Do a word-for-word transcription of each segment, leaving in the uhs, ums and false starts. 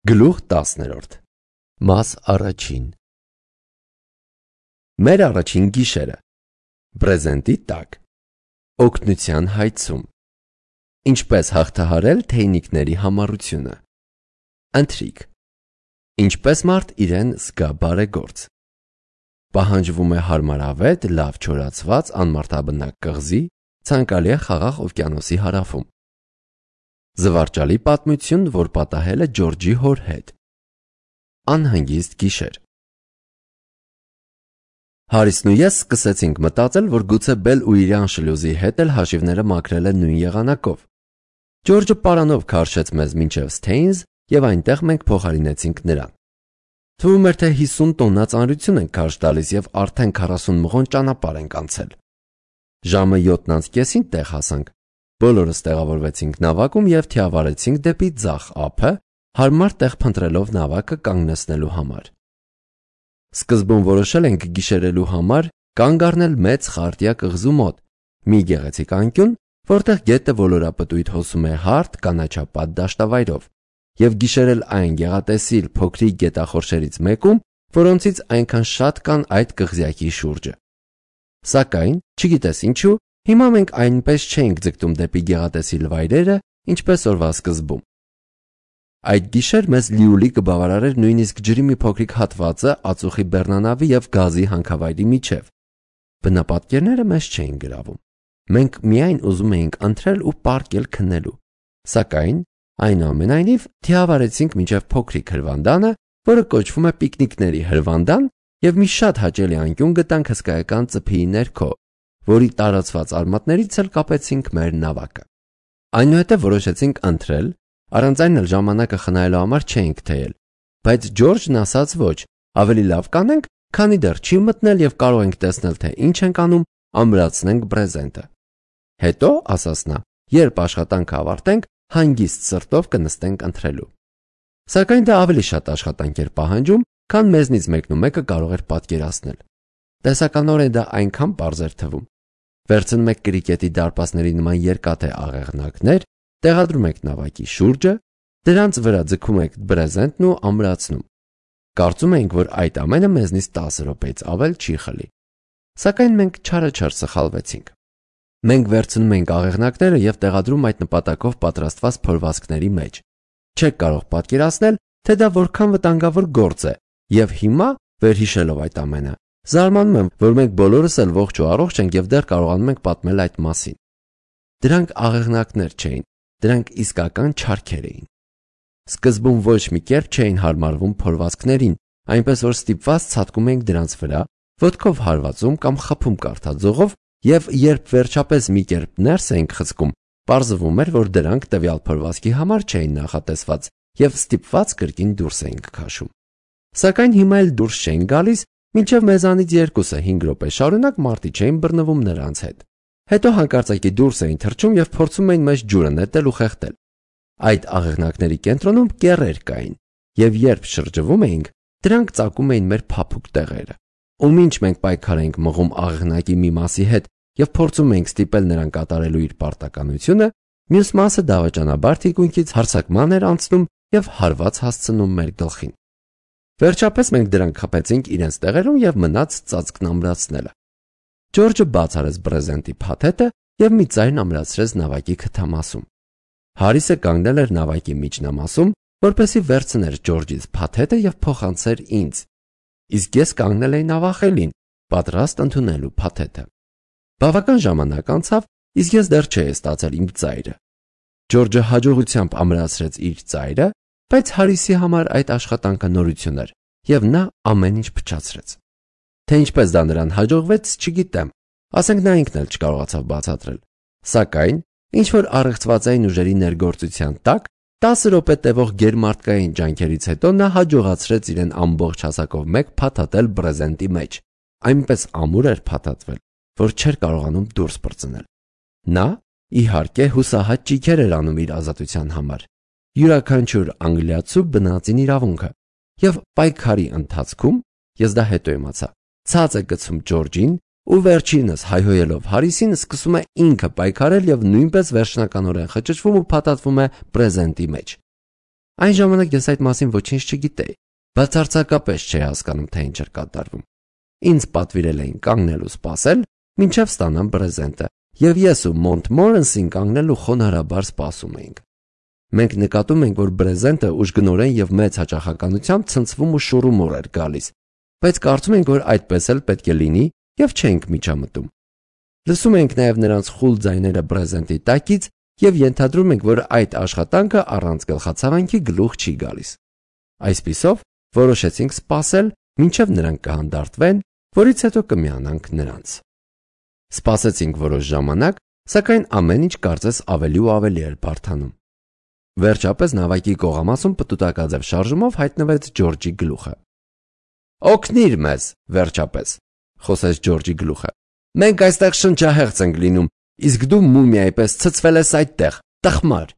Գլուխ տասներորդ Մաս առաջին Մեր առաջին գիշերը Բրեզենտի տակ Օգնության հայցում Ինչպես հաղթահարել թեյնիկների համառությունը Ընթրիք Ինչպես մարդ իրեն զգա բարեգործ Պահանջվում է հարմարավետ, լավ չորացված, անմարդաբնակ կղզի, ցանկալի է խաղաղ օվկիանոսի հարավում Զվարճալի պատմություն, որ պատահել է Ջորջի հոր հետ Անհանգիստ գիշեր Հարիսն ու ես սկսեցինք մտածել, որ գուցե Բել ու իր անշլյուզի հետ էլ հաշիվները մաքրել են նույն եղանակով Ջորջը պարանով քարշեց մեզ մինչև Սթեյնզ և այնտեղ մենք փոխարինեցինք նրան Թվում էր, թե հիսուն տոննա ծանրություն ենք քարշ տալիս և արդեն քառասուն մղոն ճանապարհ ենք անցել Ժամը յոթն անց կեսին տեղ հասանք Բոլորս տեղավորվեցինք նավակում և թիավարեցինք դեպի ձախ ափը, հարմար տեղ փնտրելով նավակը կանգնեցնելու համար։ Սկզբում որոշել ենք գիշերելու համար կանգ առնել մեծ խարտիա կղզու մոտ, մի գեղեցիկ անկյուն, որտեղ գետը ոլորապտույտ հոսում է հարթ կանաչապատ դաշտավայրով, և գիշերել այն գեղատեսիլ փոքրիկ գետախորշերից մեկում, որոնցից այնքան շատ կան այդ կղզյակի շուրջը։ Սակայն, չգիտես ինչու, Հիմա մենք այնպես չէինք ձգտում դեպի գեղատեսիլ վայրերը, ինչպես օրվա սկզբում։ Այդ գիշեր մեզ լիուլի կբավարարեր նույնիսկ ջրի մի փոքրիկ հատվածը ածուխի բեռնանավի և գազի հանքավայրի միջև։ Բնապատկերները մեզ չէին գրավում։ Մենք միայն ուզում էինք ընթրել ու պառկել քնելու։ Սակայն, այնուամենայնիվ, թիավարեցինք մինչև փոքրիկ հրվանդանը, որը կոչվում է պիկնիկների հրվանդան, և մի շատ հաճելի անկյուն գտանք հսկայական ծփիի ներքո, որի տարածված արմատներից էլ կապեցինք մեր նավակը։ Այնուհետև որոշեցինք ընթրել, առանց այն էլ ժամանակը խնայելու համար չէինք թեյել, բայց Ջորջն ասաց ոչ, ավելի լավ կանենք, քանի դեռ չի մտնել և կարող ենք տեսնել, թե ինչ ենք անում, ամրացնենք բրեզենտը։ Հետո, ասաց նա, երբ աշխատանքը ավարտենք, հանգիստ սրտով կնստենք ընթրելու։ Սակայն դա ավելի շատ աշխատանք էր պահանջում, քան մեզնից մեկնումեկը կարող էր պատկերացնել։ Տեսականորեն դա այնքան պարզ էր թվում։ Վերցնում եք կրիկետի դարպասների նման երկաթե աղեղնակներ, տեղադրում եք նավակի շուրջը, դրանց վրա ձգում եք բրեզենտն ու ամրացնում։ Կարծում էինք, որ այդ ամենը մեզնից տասը րոպեից ավել չի խլի։ Սակայն մենք չարաչար սխալվեցինք։ Մենք վերցնում ենք աղեղնակները և տեղադրում այդ նպատակով պատրաստված փորվածքների մեջ։ Չեք կարող պատկերացնել, թե դա որքան վտանգավոր գործ է, և հիմա, վերհիշելով այդ ամենը, Զարմանում եմ, որ մենք բոլորս էլ ողջ ու առողջ ենք և դեռ կարողանում ենք պատմել այդ մասին։ Դրանք աղեղնակներ չէին, դրանք իսկական չարքեր էին։ Սկզբում ոչ մի կերպ չէին հարմարվում փորվածքներին, այնպես որ ստիպված ցատկում էինք դրանց վրա, ոտքով հարվածում կամ խփում կարթաձողով, և երբ վերջապես մի կերպ ներս էինք խցկում, պարզվում էր, որ դրանք տվյալ փորվածքի համար չէին նախատեսված և ստիպված կրկին դուրս էինք քաշում։ Սակայն հիմա էլ դուրս չէին գալիս, մինչև մեզանից երկուսը հինգ րոպե շարունակ մարտի չէին բռնվում նրանց հետ։ Հետո հանկարծակի դուրս էին թռչում և փորձում էին մեզ ջուրը նետել ու խեղդել։ Այդ աղեղնակների կենտրոնում կեռեր կային, և երբ շրջվում էինք, դրանք ծակում էին մեր փափուկ տեղերը։ Ու մինչ մենք պայքար էինք մղում աղեղնակի մի մասի հետ և փորձում էինք ստիպել նրան կատարելու իր պարտականությունը, մյուս մասը դավաճանաբար թիկունքից հարձակման էր անցնում և հարված հասցնում մեր գլխին։ Վերջապես մենք դրանք խփեցինք իրենց տեղերում և մնաց ծածկն ամրացնելը։ Ջորջը բաց արեց բրեզենտի փաթեթը և մի ձայն ամրացրեց նավակի քթամասում։ Հարիսը կանգնել էր նավակի միջնամասում, որպեսզի վերցներ Ջորջից փաթեթը և փոխանցեր ինձ, իսկ ես կանգնել էի նավախելին, պատրաստ ընդունելու փաթեթը։ Բավական ժամանակ անցավ, իսկ ես դեռ չէի ստացել իմ ծայրը։ Ջորջը հաջողությամբ ամրացրեց իր ծայրը, բայց Հարիսի համար այդ աշխատանքը նորություն էր, և նա ամեն ինչ փչացրեց։ Թե ինչպես դա նրան հաջողվեց, չգիտեմ, ասենք նա ինքն էլ չկարողացավ բացատրել։ Սակայն, ինչ-որ առեղծվածային ուժերի ներգործության տակ, տասը րոպե տևող գերմարտկային ջանքերից հետո նա հաջողացրեց իրեն ամբողջ հասակով մեկ փաթաթել բրեզենտի մեջ, այնպես ամուր էր փաթաթվել, որ չէր կարողանում դուրս պրծնել։ Նա, իհարկե, հուսահատ ճիգեր էր անում իր ազատության համար, յուրաքանչյուր անգլիացու բնածին իրավունքը, և պայքարի ընթացքում, ես դա հետո իմացա, ցած է գցում Ջորջին ու վերջինս հայհոյելով Հարիսին սկսում է ինքը պայքարել և նույնպես վերջնականորեն խճճվում ու փաթաթվում է բրեզենտի մեջ։ Այն ժամանակ ես այդ մասին ոչինչ չգիտեի, բացարձակապես չէի հասկանում, թե ինչ էր կատարվում։ Ինձ պատվիրել էին կանգնել ու սպասել, մինչև ստանամ բրեզենտը, եւ ես ու Մոնտմորենսին կանգնել ու խոնարհաբար սպասում էինք։ Մենք նկատում ենք, որ բրեզենտը ուժգնորեն եւ մեծ հաճախականությամբ ցնցվում ու շուռումուռ էր գալիս, բայց կարծում ենք, որ այդպես էլ պետք է լինի եւ չենք միջամտում։ Լսում ենք նաեւ նրանց խուլ ձայները բրեզենտի տակից եւ ենթադրում ենք, որ այդ աշխատանքը առանց գլխացավանքի գլուխ չի գալիս։ Այսպիսով որոշեցինք սպասել, մինչև նրանք կհանդարտվեն, որից հետո կմիանանք նրանց։ Սպասեցինք որոշ ժամանակ, սակայն ամեն ինչ կարծես ավելի ու ավելի էր բարդանում։ Վերջապես նավակի կողամասում պտուտակաձև շարժումով հայտնվեց Ջորջի գլուխը։ «Օգնիր մեզ, վերջապես», խոսեց Ջորջի գլուխը։ «Մենք այստեղ շնչահեղձ ենք լինում, իսկ դու մումիայի պես ցցվել ես այդտեղ, տխմար»։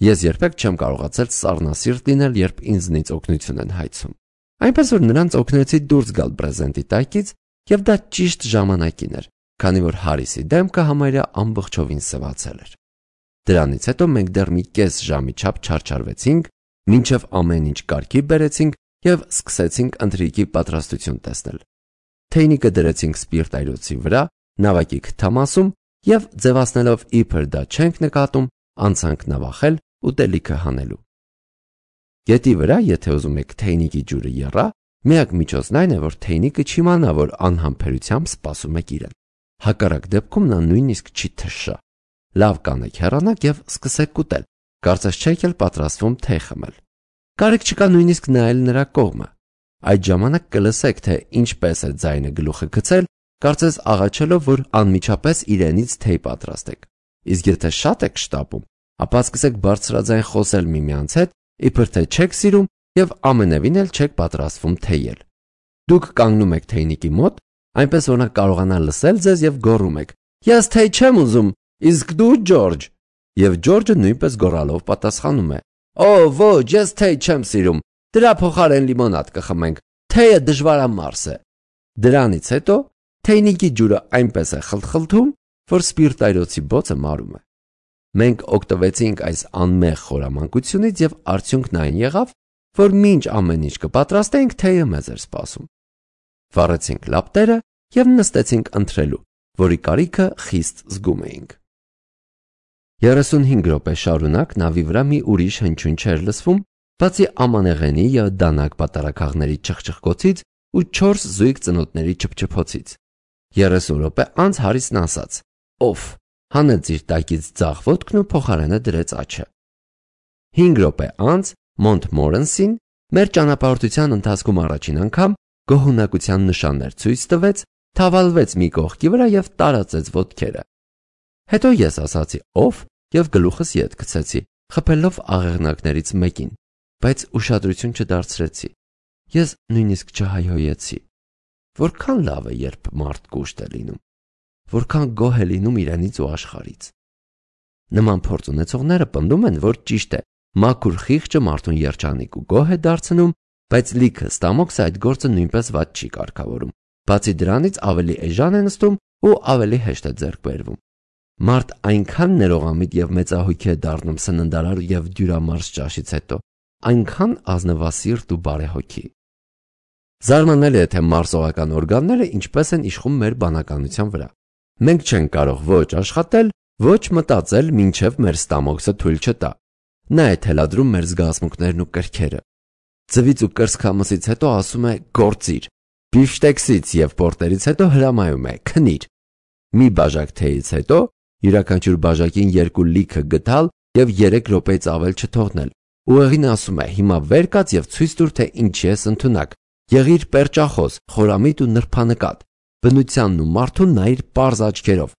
Ես երբեք չեմ կարողացել սառնասիրտ լինել, երբ ինձնից օգնություն են հայցում։ Այնպես որ նրանց օգնեցի դուրս գալ բրեզենտի տակից, եւ դա ճիշտ ժամանակին էր, քանի որ Հարիսի դեմքը համարյա ամբողջովին սևացել էր։ Դրանից հետո մենք դեռ մի կես ժամի չափ չարչարվեցինք, մինչև ամեն ինչ կարգի բերեցինք եւ սկսեցինք ընթրիքի պատրաստություն տեսնել։ Թեյնիկը դրեցինք սպիրտայրոցի վրա, նավակի քթամասում եւ ձևացնելով իբր դա չենք նկատում, անցանք նավախել ուտելիքը հանելու։ Գետի վրա, եթե ուզում եք թեյնիկի ջուրը եռա, միակ միջոցն այն է, որ թեյնիկը չիմանա, որ անհամբերությամբ սպասում եք իրեն։ Հակառակ դեպքում նա նույնիսկ չի թշա։ Լավ կանեք հեռանաք եւ սկսեք ուտել, կարծես չեք էլ պատրաստվում թեյ խմել։ Կարիք չկա նույնիսկ նայել նրա կողմը։ Այդ ժամանակ կլսեք, թե ինչպես է ձայնը գլուխը գցել, կարծես աղաչելով, որ անմիջապես իրենից թեյ պատրաստեք։ Իսկ եթե շատ եք շտապում, ապա սկսեք բարձրաձայն խոսել միմյանց հետ, իբր թե չեք սիրում եւ ամենևին էլ չեք պատրաստվում թեյել։ Դուք կանգնում եք թեյնիկի մոտ, այնպես որ նա կարողանա լսել ձեզ եւ գոռում եք. «Ես թեյ չեմ ուզում, իսկ դու Ջորջ»։ Եվ Ջորջը նույնպես գոռալով պատասխանում է. «Օ, ոչ, ես թեյ չեմ սիրում, դրա փոխարեն լիմոնադ կխմենք, թեյը դժվարամարս է»։ Դրանից հետո թեյնիկի ջուրը այնպես է խլթխլթում, որ սպիրտայրոցի բոցը մարում է։ Մենք օգտվեցինք այս անմեղ խորամանկությունից եւ արդյունքն այն եղավ, որ մինչ ամեն ինչ կպատրաստենք, թեյը մեզ էր սպասում։ Վառեցինք լապտերը եւ նստեցինք ընթրելու, որի կարիքը խիստ զգում էինք։ երեսունհինգ րոպե շարունակ նավի վրա մի ուրիշ հնչյուն չէր լսվում, բացի ամանեղենի եւ դանակ պատարակաղների չխչխկոցից ու չորս զույգ ծնոտների չփչփոցից։ երեսուն րոպե անց Հարիսն ասաց. «Օֆ», հանեց իր տակից ձախ ոտքն ու փոխարենը դրեց աջը։ հինգ րոպե անց Մոնտմորենսին մեր ճանապարհորդության ընթացքում առաջին անգամ գոհունակության նշաններ ցույց տվեց, թավալվեց մի կողքի վրա եւ տարածեց ոտքերը։ Հետո ես ասացի «Օֆ» եւ գլուխս ետ գցեցի, խփելով աղեղնակներից մեկին, բայց ուշադրություն չդարձրեցի։ Ես նույնիսկ չհայհոյեցի։ Որքան լավ է, երբ մարդ կուշտ է լինում, որքան գոհ է լինում իրենից ու աշխարհից։ Նման փորձ ունեցողները պնդում են, որ ճիշտ է, մաքուր խիղճը մարդուն երջանիկ ու գոհ է դարձնում, բայց լիքը ստամոքսը այդ գործը նույնպես վատ չի կարգավորում։ Բացի դրանից ավելի էժան է նստում ու ավելի հեշտ է ձեռք բերվում։ Մարդ այնքան ներողամիտ եւ մեծահոգի է դառնում սննդարար եւ դյուրամարս ճաշից հետո, այնքան ազնվասիրտ ու բարեհոգի։ Զարմանալի է, թե մարսողական օրգանները ինչպես են իշխում մեր բանականության վրա։ Մենք չենք կարող ոչ աշխատել, ոչ մտածել, մինչև մեր ստամոքսը թույլ չտա։ Նա է թելադրում մեր զգացմունքներն ու կրքերը։ Ձվից ու կրծքամսից հետո ասում է գործիր, բիֆշտեքսից եւ պորտերից հետո հրամայում է քնիր։ Մի բաժակ թեյից հետո յուրաքանչյուր բաժակին երկու լիքը գտալ եւ երեք րոպեից ավել չթողնել։ Ուղեղին ասում է հիմա վեր կաց եւ ցույց տուր, թե ինչի ես ընդունակ։ Եղիր պերճախոս, խորամիտ ու նրբանկատ։ Բնությանն ու մարդուն նայիր պարզ աչքերով։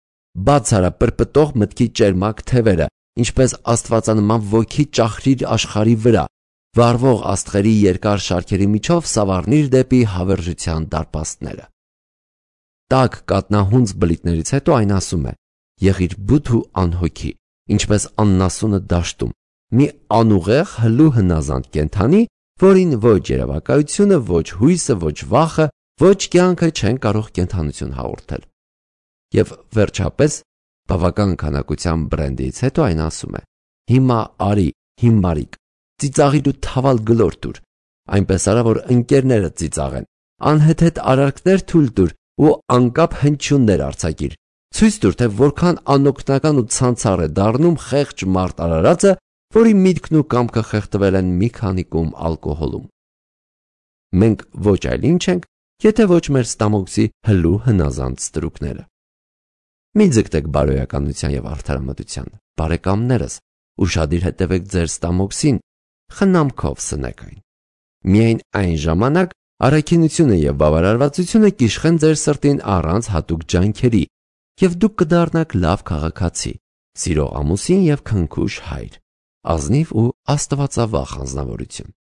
Բաց արա պրպտող մտքի ճերմակ թևերը, ինչպես աստվածանման ոգի ճախրիր աշխարհի վրա։ Վառվող աստղերի երկար շարքերի միջով սավառնիր դեպի հավերժության դարպաստները։ Տաք կատնահունձ բլիթներից հետո այն ասում է. եղիր բութ ու անհոգի, ինչպես աննասունը դաշտում, մի անուղեղ հլու հնազանդ կենդանի, որին ոչ երևակայությունը, ոչ հույսը, ոչ վախը, ոչ կյանքը չեն կարող կենդանություն հաղորդել։ Եվ վերջապես բավական քանակության բրենդից հետո այն ասում է. հիմա արի, հիմարիկ, ծիծաղիր ու թավալ գլոր տուր, այնպես արա, որ ընկերները ծիծաղեն, անհեթեթ արարքներ թույլ տուր ու անկապ հնչյուններ արձակիր, ցույց տուր, թե որքան անօգնական ու ցանցառ է դառնում խեղճ մարդ արարածը, որի միտքն ու կամքը խեղդվել են մի քանի կում ալկոհոլում։ Մենք ոչ այլ ինչ ենք, եթե ոչ մեր ստամոքսի հլու հնազանդ ստրուկները։ Մի ձգտեք բարոյականության և արդարամտության, բարեկամներս, ուշադիր հետևեք ձեր ստամոքսին, խնամքով սնեք այն։ Միայն այն ժամանակ առաքինությունը և բավարարվածությունը կիշխեն ձեր սրտին առանց հատուկ ջանքերի, և դուք կդառնաք լավ քաղաքացի, սիրող ամուսին և քնքուշ հայր, ազնիվ ու աստվածավախ անձնավորություն։